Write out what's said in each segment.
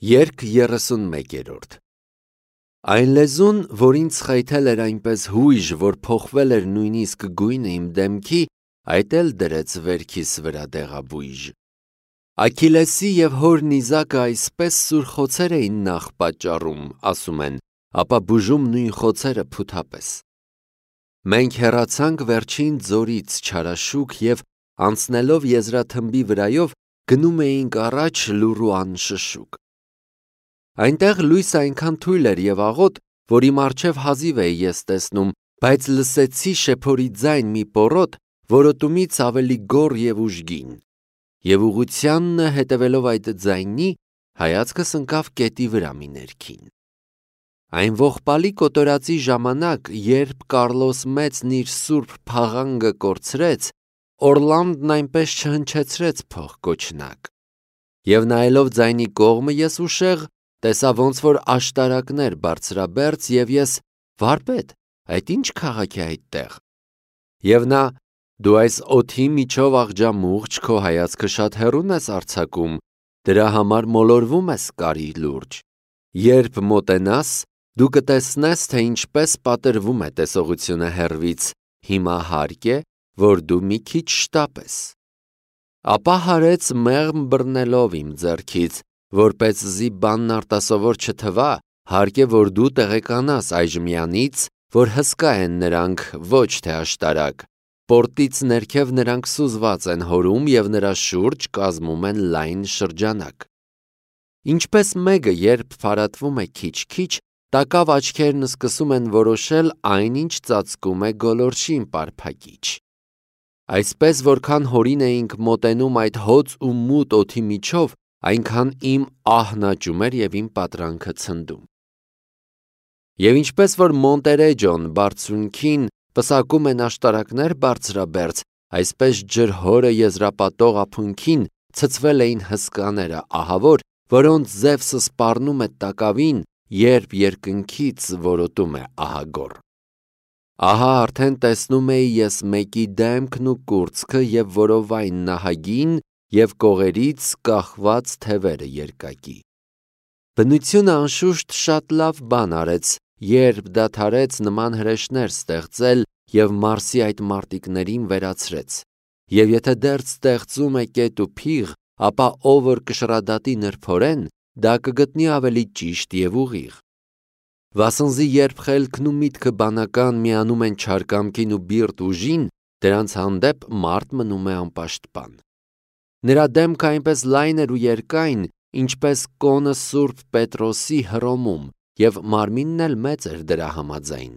Երգ 31-րդ Այն լեզուն, որ ինձ խայթել էր այնպես հույժ, որ փոխվել էր նույնիսկ գույնը իմ դեմքի, այդ էլ դրեց վերքիս վրա դեղաբույժ։ Աքիլեսի և հոր նիզակը այսպես սուր խոցեր էին նախ պատճառում, ասում են, ապա բուժում նույն խոցերը փութապես։ Մենք հեռացանք վերջին ձորից չարաշուք և անցնելով եզրաթմբի վրայով գնում էինք առաջ լուռ ու անշշուկ։ Այնտեղ լույսը այնքան թույլ էր և աղոտ, որ իմ առջև հազիվ էի ես տեսնում, բայց լսեցի շեփորի ձայն մի պոռոտ, որոտումից ավելի գոռ և ուժգին։ Եվ ուղղությանն հետևելով այդ ձայնի, հայացքս ընկավ կետի վրա մի ներքին։ Այն ողբալի կոտորածի ժամանակ, երբ Կառլոս Մեծն իր սուրբ փաղանգը կորցրեց, Օռլանդն այնպես չհնչեցրեց փողկոչնակ։ Եվ նայելով ձայնի կողմը ես ուշեղ տեսա ոնց որ աշտարակներ բարձրաբերձ և ես. «Վարպետ, այդ ի՞նչ քաղաք է այդտեղ»։ Եվ նա. «Դու այս օդի միջով աղջամուղջ քո հայացքը շատ հեռուն ես արձակում, դրա համար մոլորվում ես կարի լուրջ։ Երբ մոտենաս, դու կտեսնես, թե ինչպես պատրվում է տեսողությունը հեռվից, հիմա հարկ է, որ դու մի քիչ շտապես»։ Ապա հարեց մեղմ բռնելով իմ ձեռքից, որպեսզի բանն արտասովոր չթվա, հարկ է, որ դու տեղեկանաս այժմյանից, որ հսկա են նրանք, ոչ թե աշտարակ, պորտից ներքև նրանք սուզված են հորում և նրա շուրջ կազմում են լայն շրջանակ։ Ինչպես մեկը, երբ փարատվում է քիչ-քիչ, տակավ աչքերն սկսում են որոշել այն, ինչ ծածկում է գոլորշին պարփակիչ։ Այսպես որքան հորին էինք մոտենում այդ հոծ ու մութ օդի միջով, այնքան իմ ահն աճում էր և իմ պատրանքը ցնդում։ Եվ ինչպես որ Մոնտերեջոն բարձունքին պսակում են աշտարակներ բարձրաբերձ, այսպես ջրհորը եզրապատող ափունքին ցցվել էին հսկաները ահավոր, որոնց Զևսը սպառնում է տակավին, երբ երկնքից որոտում է ահագոռ։ Ահա արդեն տեսնում էի ես մեկի դեմքն ու կուրծքը և որովայն նահագին և կողերից կախված թևերը երկակի։ Բնությունը անշուշտ շատ լավ բան արեց, երբ դադարեց նման հրեշներ ստեղծել և Մարսի այդ մարտիկներին վերացրեց։ Եվ եթե դեռ ստեղծում է կետ ու փիղ, ապա ով որ կշռադատի նրբորեն, դա կգտնի ավելի ճիշտ և ուղիղ։ Վասնզի երբ խելքն ու միտքը բանական միանում են չար կամքին ու բիրտ ուժին, դրանց հանդեպ մարդ մնում է անպաշտպան։ Նրա դեմքը այնպես լայն էր ու երկայն, ինչպես կոնը Սուրբ Պետրոսի Հռոմում, և մարմինն էլ մեծ էր դրա համաձայն։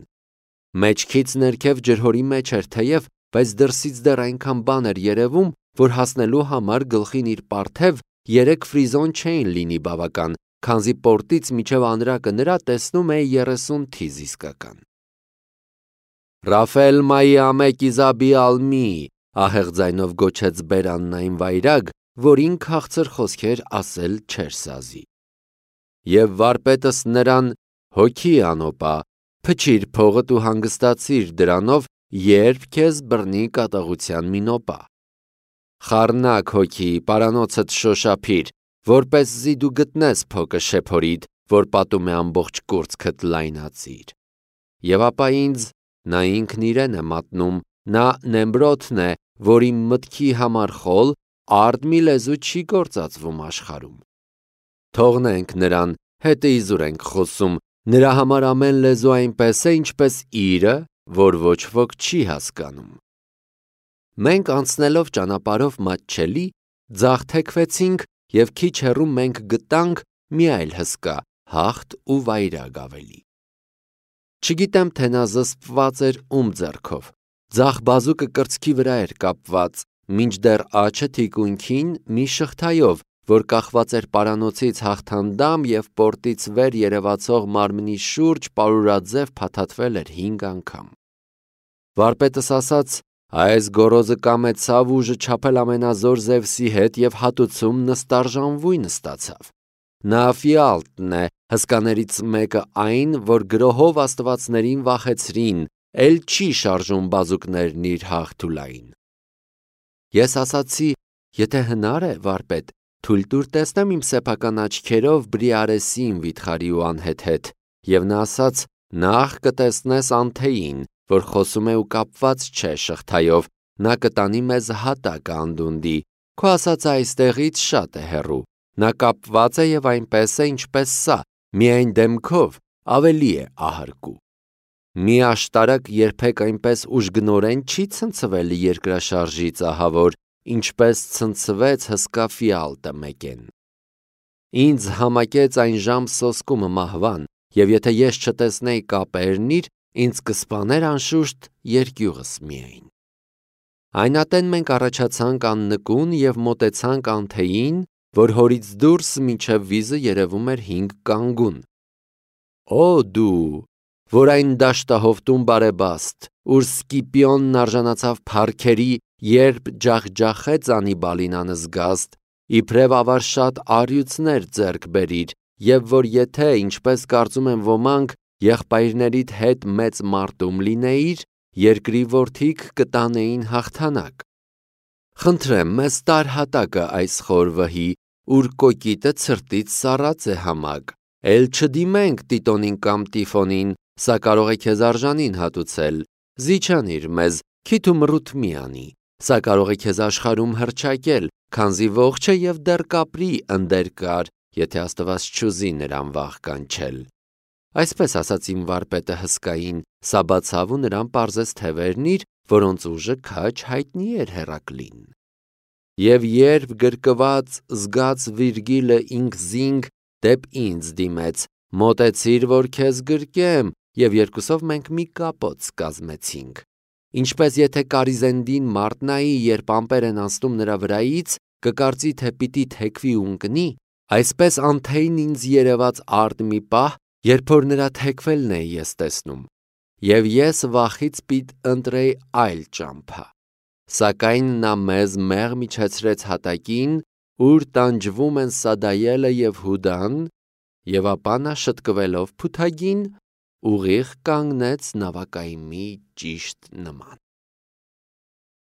Մեջքից ներքև ջրհորի մեջ էր թեև, բայց դրսից դեռ այնքան բան էր երևում, որ հասնելու համար գլխին իր պարթև 3 ֆրիզոն չէին լինի բավական, քանզի պորտից մինչև անրակը նրա տեսնում էի 30 թիզ իսկական։ «Ռաֆել մայի ամեկ իզաբի ալմի», ահեղ ձայնով գոչեց բերանն այն վայրագ, որին քաղցր խոսքեր ասել չէր սազի։ Եվ վարպետս նրան. «Հոգի անոպա, փչիր փողդ ու հանգստացիր դրանով, երբ քեզ բռնի կատաղության մի նոպա։ Խառնակ հոգի, պարանոցդ շոշափիր, որպեսզի դու գտնես փոկը շեփորիդ, որ պատում է ամբողջ կուրծքդ լայնածիր։ Եվ ապա ինձ, նա ինքն իրեն է մատնում, նա Նեմրոդն է, որ իմ մտքի համար խոլ, արդ մի լեզու չի գործածվում աշխարհում։ Թողնենք նրան, հետը իզուր ենք խոսում, նրա համար ամեն լեզու այնպես է, ինչպես իրը, որ ոչ ոք չի հասկանում։ Մենք անցնելով ճանապարհով մատչելի, ձախ թեքվեցինք և քիչ հեռու մենք գտանք մի այլ հսկա, հաղթ ու վայրագ ավելի։ Չգիտեմ, թե նա զսպված էր ում ձեռքով, ձախ բազուկը կրծքի վրա էր կապված, մինչդեռ աջը թիկունքին մի շղթայով, որ կախված էր պարանոցից հաղթանդամ և պորտից վեր երևացող մարմնի շուրջ պարուրաձև փաթաթվել էր 5 անգամ։ Վարպետս ասաց. «Այս գոռոզը կամեցավ ուժը չափել ամենազոր Զևսի հետ և հատուցում նստարժանվույն ստացավ։ Նա Ֆիալտն է, հսկաներից մեկը այն, որ գրոհով աստվածներին վախեցրին, էլ չի շարժում բազուկներն իր հաղթուլային»։ Ես ասացի. «Եթե հնար է, վարպետ, թույլ տուր տեսնեմ իմ սեփական աչքերով Բրիարեսին վիթխարի ու անհեթեթ, եւ նա ասաց. նախ կտեսնես Անթեին, որ խոսում է ու կապված չէ շղթայով, նա կտանի մեզ հատակը անդունդի, քո ասածը այստեղից շատ է հեռու, նա կապված է եւ այնպես է, ինչպես սա, միայն դեմքով ավելի է ահարկու։ Մի աշտարակ երբեք այնպես ուժգնորեն չի ցնցվել երկրաշարժի ծահավոր, ինչպես ցնցվեց հսկա ֆիալտը մեկեն։ Ինձ համակեց այն ժամ սոսկումը մահվան, եւ եթե ես չտեսնեի կապերնիր, ինձ կսպաներ անշուշտ երկյուղս միայն։ Այն ատեն մենք առաջացանք աննկուն եւ մոտեցանք Անթեին, որ հորից դուրս մինչև վիզը երևում էր 5 կանգուն։ Օ դու, որ այն դաշտահովտում բարեբաստ, ուր Սկիպիոնն արժանացավ փառքերի, երբ ջախջախեց Անիբալին անզգաստ, իբրև ավար շատ առյուծներ ձեռք բերիր, եւ որ եթե, ինչպես կարծում են ոմանք, եղբայրներիդ հետ մեծ մարտում լինեիր, երկրի որդիք կտանեին հաղթանակ։ Խնդրեմ, մեզ տար հատակը այս խոր վհի, ուր կոկիտը ցրտից սառած է համակ, էլ չդիմենք Տիտոնին կամ Տիֆոնին, սա կարող է քեզ արժանին հատուցել, զիջանիր մեզ, քիթ ու մռութ մի անի, սա կարող է քեզ աշխարհում հռչակել, քանզի ողջ է եւ դեռ կապրի ընդեր կար, եթե Աստված չուզի նրան վաղ կանչել։ Այսպես ասաց իմ վարպետը հսկային, սա բացավ ու նրան պարզեց թևերն իր, որոնց ուժը քաջ հայտնի էր Հերակլին։ Եվ երբ գրկված զգաց Վիրգիլը ինքզինք դեպ ինձ դիմեց, մոտեցիր, որ քեզ գրկեմ, եւ երկուսով մենք մի կապոց կազմեցինք։ Ինչպես եթե Կարիզենդին մարտնայի, երբ ամպեր են անցնում նրա վրայից, կկարծի, թե պիտի թեքվի ու ընկնի, այսպես Անթեին ինձ երևաց արդ մի պահ, երբ որ նրա թեքվելն էի ես տեսնում, եւ ես վախից պիտ ընտրեի այլ ճամփա։ Սակայն նա մեզ մեղմ իջեցրեց հատակին, ուր տանջվում են Սադայելը եւ Հուդան, եւ ապա նա շտկվելով փութագին, ուղիղ կանգնեց նավակայմի ճիշտ նման։